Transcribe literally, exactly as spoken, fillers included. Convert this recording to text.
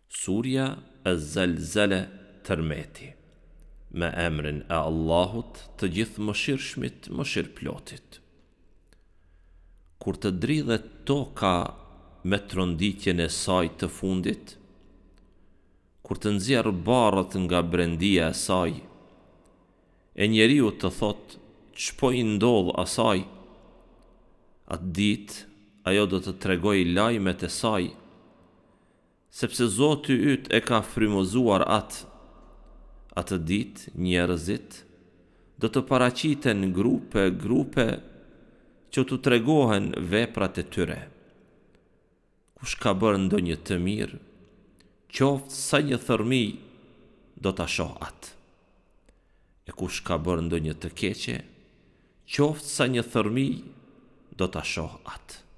Surja Ez-Zelzele Tërmeti Me emrin e Allahut të Gjithëmëshirshmit Mëshirëplotit Kur të dridhet toka me tronditjen e saj të fundit, kur të nxjerrë barrët nga brendia e saj, e njeriu të thotë ç'po i ndodh asaj, atë ditë ajo do të tregojë lajmet e saj, Sepse Zoti yt e ka frymëzuar atë. Atë ditë njerëzit do të paraqiten grupe, grupe që t'u tregohen veprat e tyre. Kush ka bërë ndonjë të mirë, qoftë sa një thërrmi, do ta shohë atë. E kush ka bërë ndonjë të keqe, qoftë sa një thërrmi, do ta shohë atë.